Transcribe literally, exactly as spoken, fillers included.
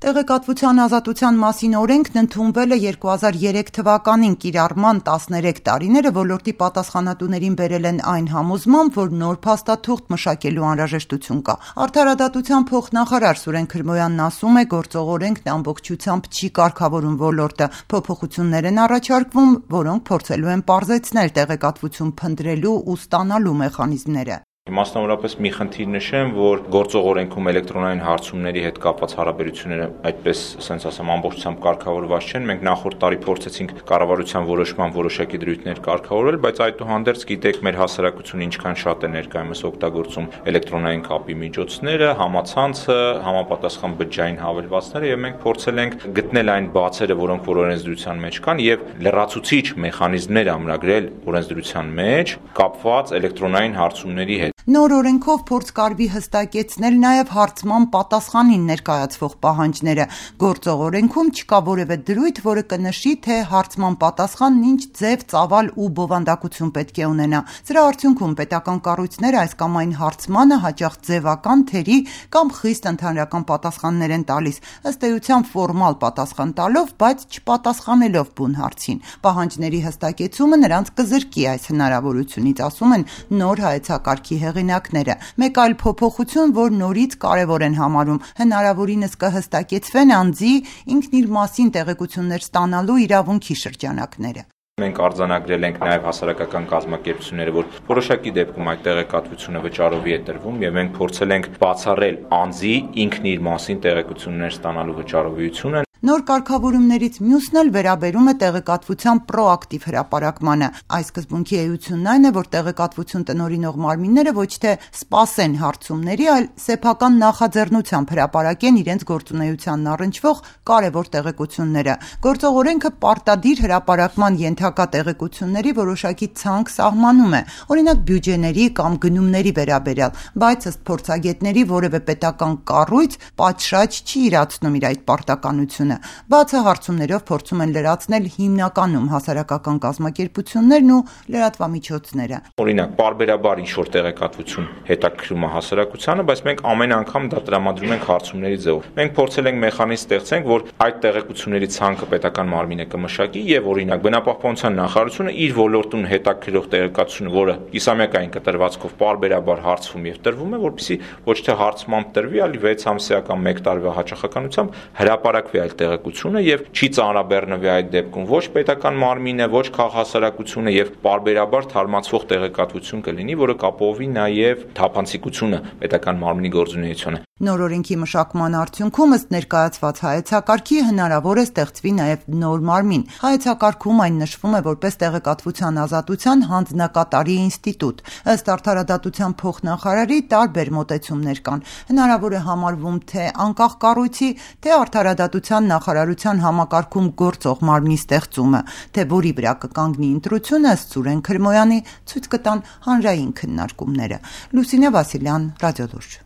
Տեղեկատվության ազատության մասին օրենքն ընդունվել է երկու հազար երեք թվականին կիրառման տասներեք տարիները ոլորտի պատասխանատուներին բերել են այն համոզմամբ, որ նոր փաստաթուղթ մշակելու անհրաժեշտություն կա։ Արդարադատության փոխնախարար Սուրեն Քրմոյանն ասում է, գործող օրենքն ամբողջությամբ չի կարգավորում ոլորտը, փոփոխություններ են առաջարկվում, որոնք փորձելու են պարզեցնել տեղեկատվություն փնտրելու ու ստանալու մեխանիզմները։ Մասնավորապես մի խնդիր նշեմ, որ գործող օրենքում էլեկտրոնային հարցումների հետ կապված հարաբերությունները այդպես, ասենց ասեմ, ամբողջությամբ կարգավորված չեն։ Մենք նախորդ տարի փորձեցինք կառավարության որոշման որոշակի դրույթներ կարգավորել, բայց այդուհանդերձ գիտեք, մեր հասարակությունը ինչքան շատ է ներկայումս օգտագործում էլեկտրոնային կապի միջոցները, համացանցը, համապատասխան բջջային հավելվածները, եւ մենք փորձել ենք գտնել այն բացերը, որոնք որ օրենսդրության մեջ կան, եւ լրացուցիչ մեխանիզմներ ամրագրել օրենսդրության մեջ կապված էլեկտրոնային հարցումների հետ։ Նոր օրենքով փորձ կարվի հստակեցնել նաև հարցման պատասխանին ներկայացվող պահանջները։ Գործող օրենքում չկա որևէ դրույթ, որը կնշի, թե հարցման պատասխանն ինչ ձև, ծավալ ու բովանդակություն պետք է ունենա։ Սրա արդյունքում պետական կառույցները այս կամ այն հարցմանը հաճախ ձևական, թերի կամ խիստ ընդհանրական պատասխաններ են տալիս, ըստ էության ֆորմալ պատասխան տալով, բայց չպատասխանելով բուն հարցին։ Պահանջների հստակեցումը նրանց կզրկի այս հնարավորությունից, ասում են նոր հայեցակարգի հեղինակները։ Մեկ այլ փոփոխություն, որ նորից կարևոր են համարում, հնարավորինս կհստակեցվեն անձի ինքն իր մասին տեղեկություններ ստանալու իրավունքի շրջանակները։ Մենք արձանագրել ենք նաև հասարակական կազմակերպությունները, որ որոշակի դեպքում այդ տեղեկատվությունը վճարովի է տրվում, եւ մենք փորձել ենք բացառել անձի ինքն իր մասին տեղեկություններ ստանալու վճարովիությունը։ Նոր կարգավորումներից մյուսն էլ վերաբերում է տեղեկատվության պրոակտիվ հրապարակմանը։ Այս սկզբունքի էությունն այն է, որ տեղեկատվություն տնօրինող մարմինները ոչ թե սպասեն հարցումների, այլ սեփական նախաձեռնությամբ հրապարակեն իրենց գործունեությանն առնչվող կարևոր տեղեկությունները։ Գործող օրենքը պարտադիր հրապարակման ենթակա տեղեկությունների որոշակի ցանկ սահմանում է, օրինակ բյուջեների կամ գնումների վերաբերյալ, բայց ըստ փորձագետների որևէ պետական կառույց պատշաճ չի իրացնում իր այդ պարտականությունը։ Բացը հարցումներով փորձում են լրացնել հիմնականում հասարակական կազմակերպություններն ու լրատվամիջոցները։ Օրինակ, պարբերաբար ինչ-որ տեղեկատվություն հետաքրքրում է հասարակությանը, բայց մենք ամեն անգամ դա տրամադրում ենք հարցումների ձևով։ Մենք փորձել ենք մեխանիզմ ստեղծենք, որ այդ տեղեկությունների ցանկը պետական մարմինը կմշակի եւ օրինակ բնապահպանության նախարարությունը իր ոլորտուն հետաքրքրող տեղեկատվությունը, որը կիսամյակային կտրվածքով պարբերաբար հարցվում եւ տրվում է, որպեսզի ոչ թե հարցմամբ տրվի, այլ վեց ամսյա կամ մեկ տարվա հաճախականությամբ հրապարակվի այդ տեղեկությունը եւ չի ծանրաբեռնվի այդ դեպքում ոչ պետական մարմինը, ոչ քաղաքասարակությունը եւ պարբերաբար թարմացվող տեղեկատվություն կլինի, որը կապովի նաեւ թափանցիկությունը պետական մարմնի գործունեությանը։ Նոր օրենքի մշակման արդյունքում ըստ ներկայացված հայեցակարգի հնարավոր է ստեղծվի նաև նոր մարմին։ Հայեցակարգում այն նշվում է որպես տեղեկատվության ազատության հանձնակատարի ինստիտուտ։ Ըստ արդարադատության փոխնախարարի տարբեր մոտեցումներ կան։ Հնարավոր է համարվում թե անկախ կառույցի, թե արդարադատության նախարարության համակարգում գործող մարմնի ստեղծումը, թե որի վրա կկանգնի ընտրությունը, ըստ Սուրեն Քրմոյանի ցույց կտան հանրային քննարկումները։ Լուսինե Վասիլյան, Ռադիոլուրջ։